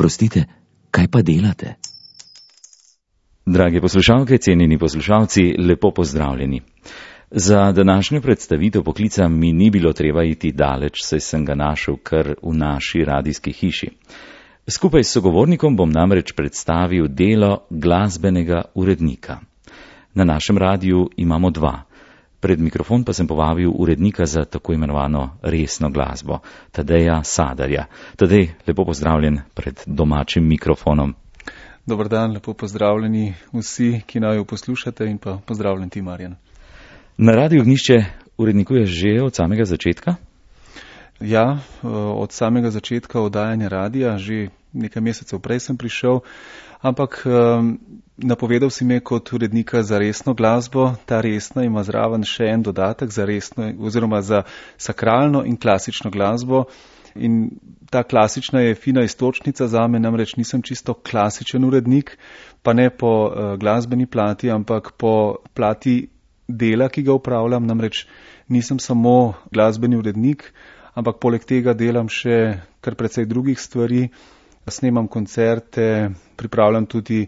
Oprostite, kaj pa delate? Drage poslušalke, cenjeni poslušalci, lepo pozdravljeni. Za današnjo predstavitev poklica mi ni bilo treba iti daleč, saj sem ga našel kar v naši radijski hiši. Skupaj s sogovornikom bom namreč predstavil delo glasbenega urednika. Na našem radiju imamo dva. Pred mikrofon pa sem povabil urednika za tako imenovano resno glasbo, Tadeja Sadarja. Tadej, lepo pozdravljen pred domačim mikrofonom. Dobar dan, lepo pozdravljeni vsi, ki naju poslušate, in pa pozdravljen ti, Marjan. Na Radiu Ognjišče urednikuješ že od samega začetka? Ja, od samega začetka oddajanja radija, že nekaj mesecev prej sem prišel, ampak napovedal si me kot urednika za resno glasbo. Ta resna ima zraven še en dodatek za resno, oziroma za sakralno in klasično glasbo. In ta klasična je fina iztočnica zame, namreč nisem čisto klasičen urednik, pa ne po glasbeni plati, ampak po plati dela, ki ga upravljam. Namreč nisem samo glasbeni urednik, ampak poleg tega delam še kar precej drugih stvari. Snemam koncerte, pripravljam tudi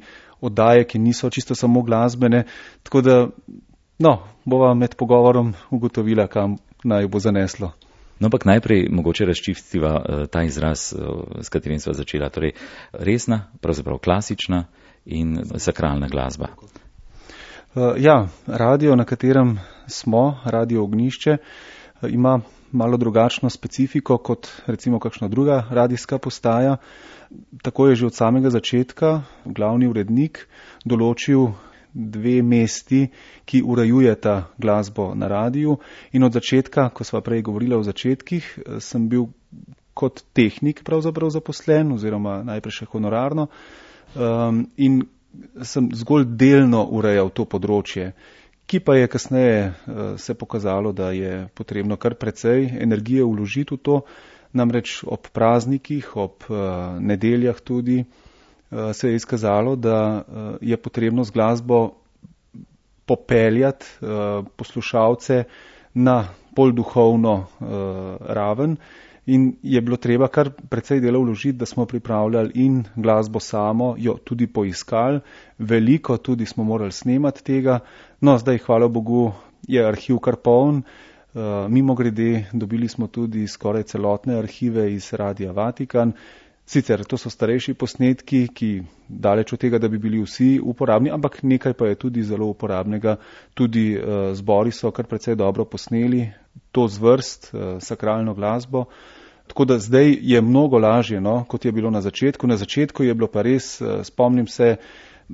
oddaje, ki niso čisto samo glasbene, tako da, bova med pogovorom ugotovila, kam naj bo zaneslo. No, ampak najprej mogoče razčistiva ta izraz, s katerim sva začela, torej resna, pravzaprav klasična in sakralna glasba. Ja, radio, na katerem smo, Radio Ognjišče, ima malo drugačno specifiko kot recimo kakšna druga radijska postaja. Tako je že od samega začetka glavni urednik določil dve mesti, ki urejujeta glasbo na radiju, in od začetka, ko sva prej govorila o začetkih, sem bil kot tehnik pravzaprav zaposlen, oziroma najprej še honorarno, in sem zgolj delno urejal to področje, ki pa je kasneje se pokazalo, da je potrebno kar precej energije vložiti v to. Namreč ob praznikih, ob nedeljah tudi se je izkazalo, da je potrebno z glasbo popeljati poslušalce na bolj duhovno raven, in je bilo treba kar precej dela vložiti, da smo pripravljali in glasbo samo, jo tudi poiskali, veliko tudi smo morali snemati tega. No, zdaj, hvala Bogu, je arhiv kar poln. Mimogrede, dobili smo tudi skoraj celotne arhive iz Radia Vatikan. Sicer to so starejši posnetki, ki daleč od tega, da bi bili vsi uporabni, ampak nekaj pa je tudi zelo uporabnega. Tudi zbori so kar precej dobro posneli to zvrst, sakralno glasbo. Tako da zdaj je mnogo lažje, kot je bilo na začetku. Na začetku je bilo pa res, spomnim se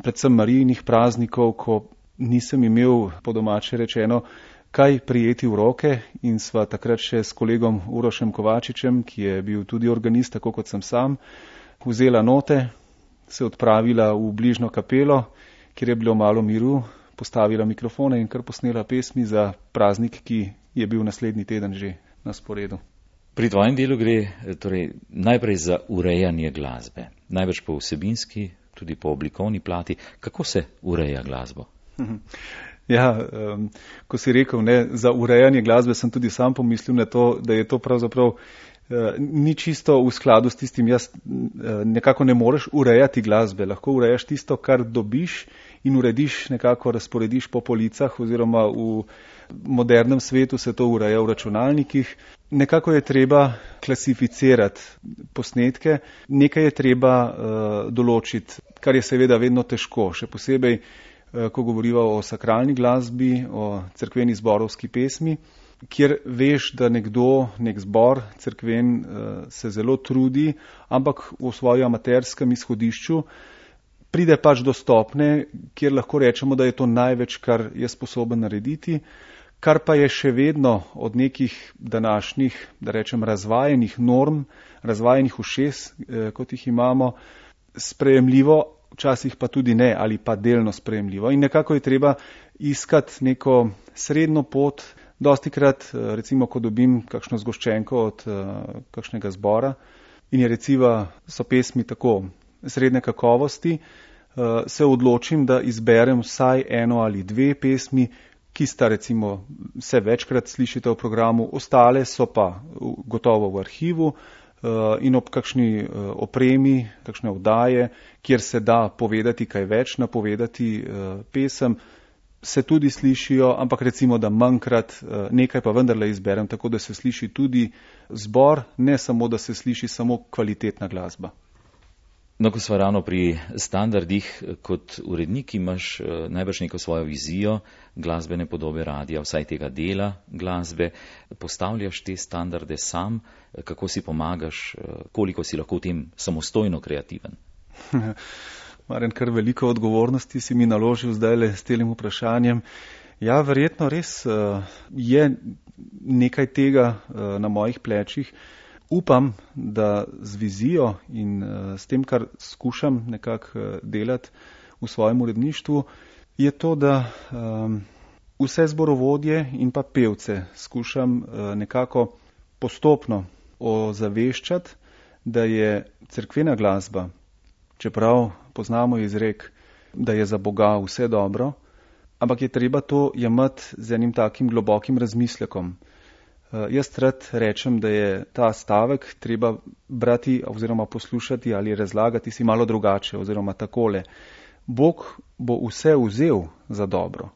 predvsem Marijinih praznikov, ko nisem imel, po domače rečeno, kaj prijeti v roke, in sva takrat še s kolegom Urošem Kovačičem, ki je bil tudi organist, tako kot sem sam, vzela note, se odpravila v bližnjo kapelo, kjer je bilo malo miru, postavila mikrofone in kar posnela pesmi za praznik, ki je bil naslednji teden že na sporedu. Pri tvojem delu gre torej najprej za urejanje glasbe, največ po vsebinski, tudi po oblikovni plati. Kako se ureja glasbo? Ja, ko si rekel, za urejanje glasbe, sem tudi sam pomislil na to, da je to pravzaprav ni čisto v skladu s tistim. Nekako ne moreš urejati glasbe, lahko urejaš tisto, kar dobiš, in urediš, nekako razporediš po policah, oziroma v modernem svetu se to ureja v računalnikih. Nekako je treba klasificirati posnetke, nekaj je treba določiti, kar je seveda vedno težko, še posebej, ko govoriva o sakralni glasbi, o cerkveni zborovski pesmi, kjer veš, da nekdo, nek zbor cerkven se zelo trudi, ampak v svojem amaterskem izhodišču pride pač do stopne, kjer lahko rečemo, da je to največ, kar je sposoben narediti, kar pa je še vedno od nekih današnjih, da rečem, razvajenih norm, razvajenih ušes, kot jih imamo, sprejemljivo, včasih pa tudi ne, ali pa delno sprejemljivo. In nekako je treba iskati neko srednjo pot. Dostikrat, recimo, ko dobim kakšno zgoščenko od kakšnega zbora in je so pesmi tako srednje kakovosti, se odločim, da izberem vsaj eno ali dve pesmi, ki sta se večkrat slišite v programu, ostale so pa gotovo v arhivu, in ob kakšni opremi, kakšne oddaje, kjer se da povedati kaj več, napovedati pesem, se tudi slišijo, ampak recimo, da manjkrat nekaj pa vendarle izberem, tako da se sliši tudi zbor, ne samo, da se sliši samo kvalitetna glasba. No, ko sva ravno pri standardih, kot urednik imaš najbrž neko svojo vizijo glasbene podobe radia, vsaj tega dela glasbe. Postavljaš te standarde sam, kako si pomagaš, koliko si lahko v tem samostojno kreativen? Marjan, kar veliko odgovornosti si mi naložil zdajle s tem vprašanjem. Ja, verjetno res je nekaj tega na mojih plečih. Upam, da z vizijo in s tem, kar skušam nekako delati v svojem uredništvu, je to, da vse zborovodje in pa pevce skušam nekako postopno ozaveščati, da je cerkvena glasba, čeprav poznamo izrek, da je za Boga vse dobro, ampak je treba to jemati z enim takim globokim razmislekom. Jaz rad rečem, da je ta stavek treba brati oziroma poslušati ali razlagati si malo drugače oziroma takole. Bog bo vse vzel za dobro,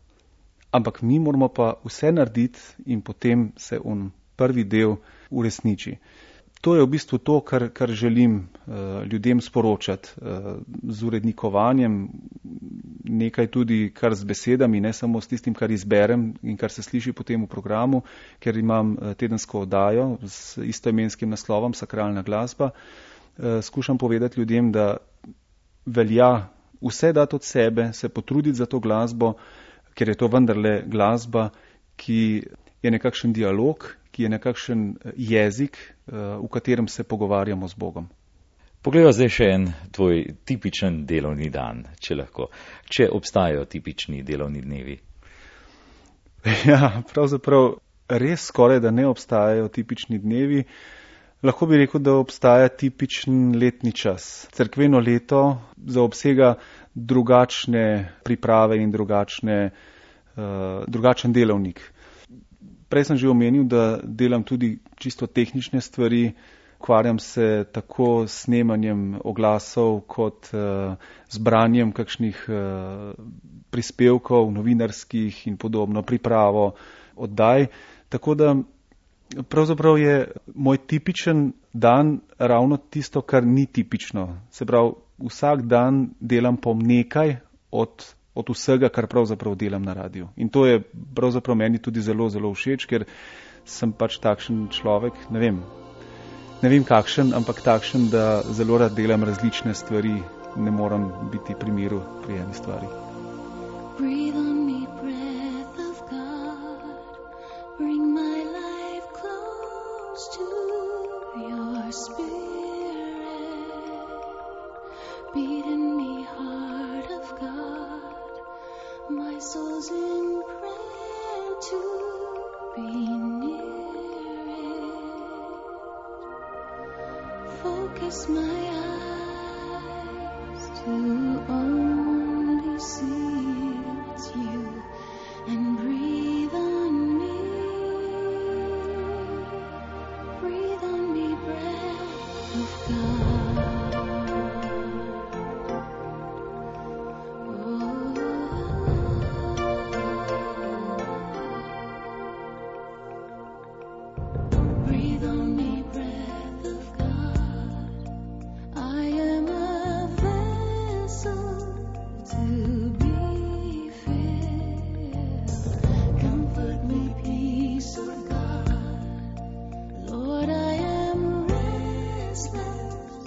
ampak mi moramo pa vse narediti in potem se on prvi del uresniči. To je v bistvu to, kar želim ljudem sporočati z urednikovanjem, nekaj tudi kar z besedami, ne samo s tistim, kar izberem in kar se sliši potem v programu, ker imam tedensko oddajo z istoimenskim naslovom Sakralna glasba. Skušam povedati ljudem, da velja vse dati od sebe, se potruditi za to glasbo, ker je to vendarle glasba, ki je nekakšen dialog, ki je nekakšen jezik, v katerem se pogovarjamo z Bogom. Poglejva zdaj še en tvoj tipičen delovni dan, če lahko. Če obstajajo tipični delovni dnevi? Ja, pravzaprav res skoraj, da ne obstajajo tipični dnevi. Lahko bi rekel, da obstaja tipičen letni čas. Cerkveno leto zaobsega drugačne priprave in drugačen delovnik. Prej sem že omenil, da delam tudi čisto tehnične stvari, ukvarjam se tako s snemanjem oglasov kot z branjem kakšnih prispevkov, novinarskih in podobno, pripravo oddaj. Tako da pravzaprav je moj tipičen dan ravno tisto, kar ni tipično. Se pravi, vsak dan delam po nekaj od vsega, kar pravzaprav delam na radiju. In to je pravzaprav meni tudi zelo, zelo všeč, ker sem pač takšen človek, ne vem kakšen, ampak takšen, da zelo rad delam različne stvari, ne moram biti pri miru pri eni stvari. Breathe on me, breath of God, bring my life close to your spirit, beat in me, heart of God. My soul's in prayer to be near it. Focus my eyes to only see it's you and breathe on me. Breathe on me, breath of God. Lord, I am restless.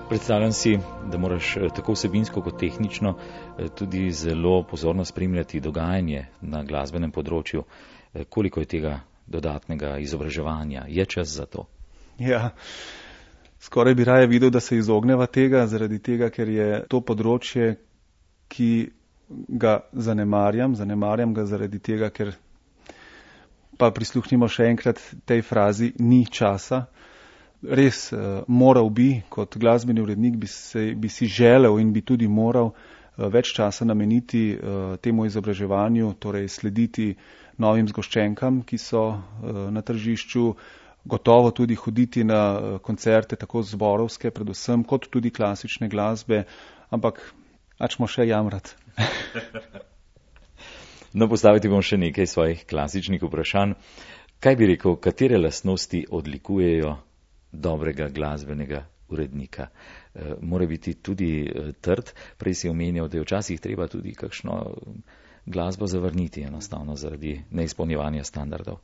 Predstavljam si, da moraš tako vsebinsko kot tehnično tudi zelo pozorno spremljati dogajanje na glasbenem področju. Koliko je tega dodatnega izobraževanja? Je čas za to? Ja, skoraj bi raje videl, da se izogneva tega, zaradi tega, ker je to področje, ki ga zanemarjam. Zanemarjam ga zaradi tega, ker pa prisluhnimo še enkrat tej frazi, ni časa. Res moral bi, kot glasbeni urednik bi si želel in bi tudi moral več časa nameniti temu izobraževanju, torej slediti novim zgoščenkam, ki so na tržišču, gotovo tudi hoditi na koncerte, tako zborovske predvsem, kot tudi klasične glasbe, ampak ačmo še jamrat. No, postaviti bom še nekaj svojih klasičnih vprašanj. Kaj bi rekel, katere lastnosti odlikujejo dobrega glasbenega urednika? Mora biti tudi trd. Prej si omenjal, da je včasih treba tudi kakšno glasbo zavrniti enostavno zaradi neizpolnjevanja standardov.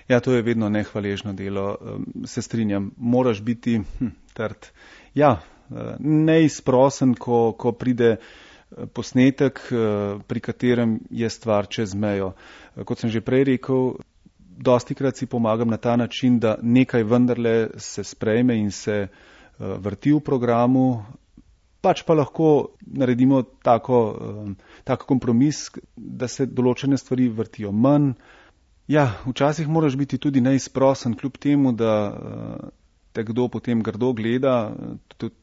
Ja, to je vedno nehvaležno delo. Se strinjam, moraš biti trd. Ja, neizprosen, ko pride posnetek, pri katerem je stvar čez mejo. Kot sem že prej rekel, dostikrat si pomagam na ta način, da nekaj vendarle se sprejme in se vrti v programu, pač pa lahko naredimo tak kompromis, da se določene stvari vrtijo manj. Ja, včasih moraš biti tudi neizprosen, kljub temu, da te kdo potem grdo gleda. Tudi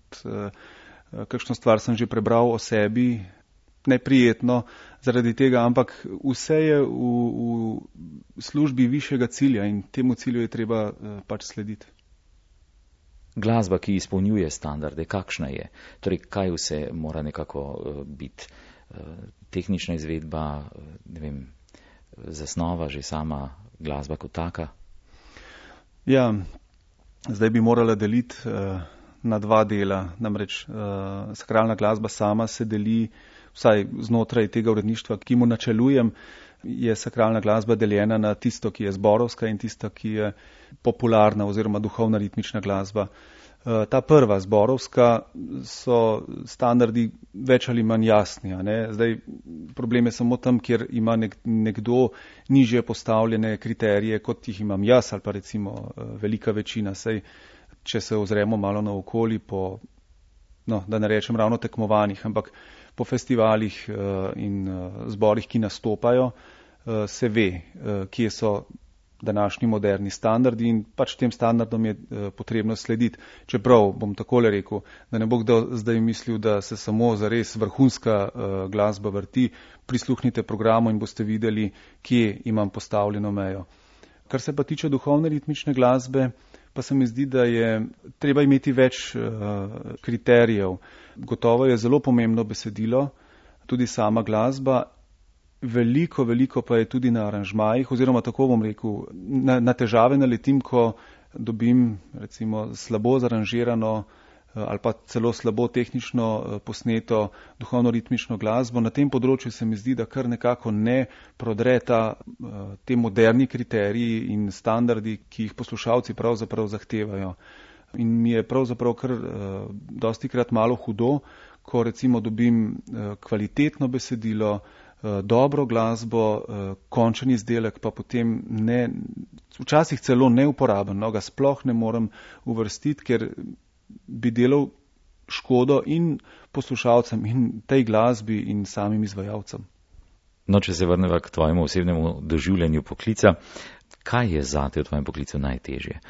kakšno stvar sem že prebral o sebi, neprijetno zaradi tega, ampak vse je v službi višjega cilja in temu cilju je treba pač slediti. Glasba, ki izpolnjuje standarde, kakšna je? Torej, kaj vse mora nekako biti? Tehnična izvedba, ne vem, zasnova, že sama glasba kot taka? Ja, zdaj bi morala deliti na dva dela. Namreč sakralna glasba sama se deli, vsaj znotraj tega uredništva, ki mu načelujem, je sakralna glasba deljena na tisto, ki je zborovska in tisto, ki je popularna oziroma duhovna ritmična glasba. Ta prva zborovska so standardi več ali manj jasni. Zdaj, problem je samo tam, kjer ima nekdo nižje postavljene kriterije, kot jih imam jaz ali pa recimo velika večina. Saj, če se ozremo malo naokoli po, da ne rečem ravno tekmovanjih, ampak po festivalih in zborih, ki nastopajo, se ve, kje so današnji moderni standardi in pač tem standardom je potrebno slediti. Čeprav bom takole rekel, da ne bo kdo zdaj mislil, da se samo zares vrhunska glasba vrti, prisluhnite programu in boste videli, kje imam postavljeno mejo. Kar se pa tiče duhovne ritmične glasbe, pa se mi zdi, da je treba imeti več kriterijev. Gotovo je zelo pomembno besedilo, tudi sama glasba, veliko pa je tudi na aranžmajih, oziroma tako bom rekel, na težave naletim, ko dobim recimo slabo zaranžirano ali pa celo slabo tehnično posneto duhovno-ritmično glasbo. Na tem področju se mi zdi, da kar nekako ne prodre te moderni kriteriji in standardi, ki jih poslušalci pravzaprav zahtevajo. In mi je pravzaprav kar dostikrat malo hudo, ko recimo dobim kvalitetno besedilo, dobro glasbo, končen izdelek pa potem včasih celo neuporaben, ga sploh ne morem uvrstiti, ker bi delal škodo in poslušalcem in tej glasbi in samim izvajalcem. No, če se vrneva k tvojemu osebnemu doživljanju poklica, kaj je zate v tvojem poklicu najtežje?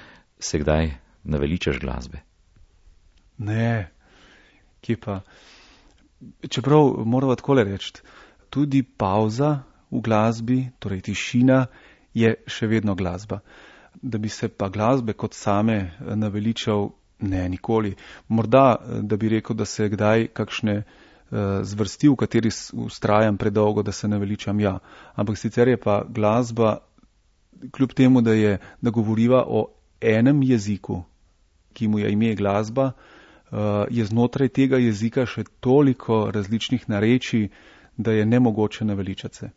Se kdaj naveličaš glasbe? Ne, kje pa. Čeprav moramo takole reči, tudi pauza v glasbi, torej tišina, je še vedno glasba. Da bi se pa glasbe kot same naveličal, ne, nikoli. Morda, da bi rekel, da se kdaj kakšne zvrsti, v kateri vztrajam predolgo, da se naveličam, ja. Ampak sicer je pa glasba, kljub temu, da govoriva o enem jeziku, ki mu je ime glasba, je znotraj tega jezika še toliko različnih narečij, da je nemogoče naveličati se.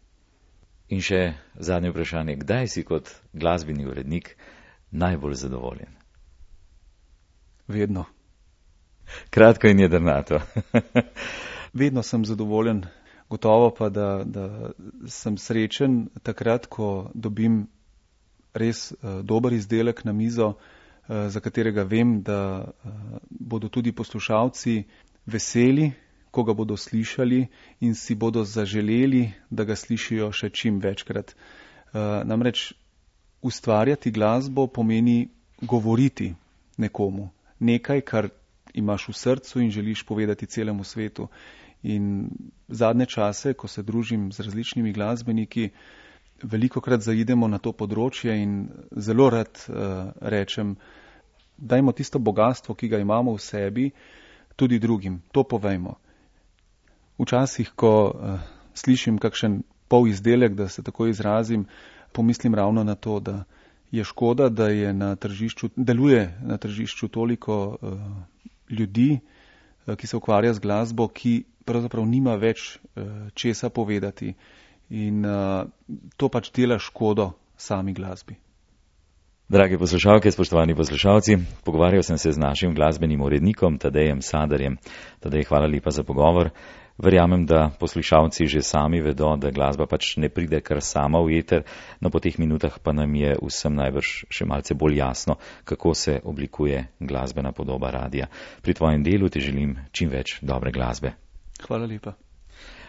In še zadnje vprašanje, kdaj si kot glasbeni urednik najbolj zadovoljen? Vedno. Kratko in jedrnato. Vedno sem zadovoljen, gotovo pa, da sem srečen takrat, ko dobim res dober izdelek na mizo, za katerega vem, da bodo tudi poslušalci veseli, ko ga bodo slišali in si bodo zaželeli, da ga slišijo še čim večkrat. Namreč ustvarjati glasbo pomeni govoriti nekomu. Nekaj, kar imaš v srcu in želiš povedati celemu svetu. In zadnje čase, ko se družim z različnimi glasbeniki, velikokrat zaidemo na to področje in zelo rad rečem, dajmo tisto bogatstvo, ki ga imamo v sebi, tudi drugim. To povejmo. Včasih, ko slišim kakšen pol izdelek, da se tako izrazim, pomislim ravno na to, da je škoda, da je deluje na tržišču toliko ljudi, ki se ukvarja z glasbo, ki pravzaprav nima več česa povedati. In to pač dela škodo sami glasbi. Drage poslušalke, spoštovani poslušalci, pogovarjal sem se z našim glasbenim urednikom Tadejem Saderjem. Tadej, hvala lepa za pogovor. Verjamem, da poslušalci že sami vedo, da glasba pač ne pride kar sama v eter, no po teh minutah pa nam je vsem najbrž še malce bolj jasno, kako se oblikuje glasbena podoba radia. Pri tvojem delu ti želim čim več dobre glasbe. Hvala lepa.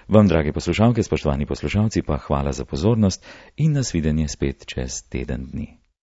Vam, drage poslušalke, spoštovani poslušalci, pa hvala za pozornost in nasvidenje spet čez teden dni.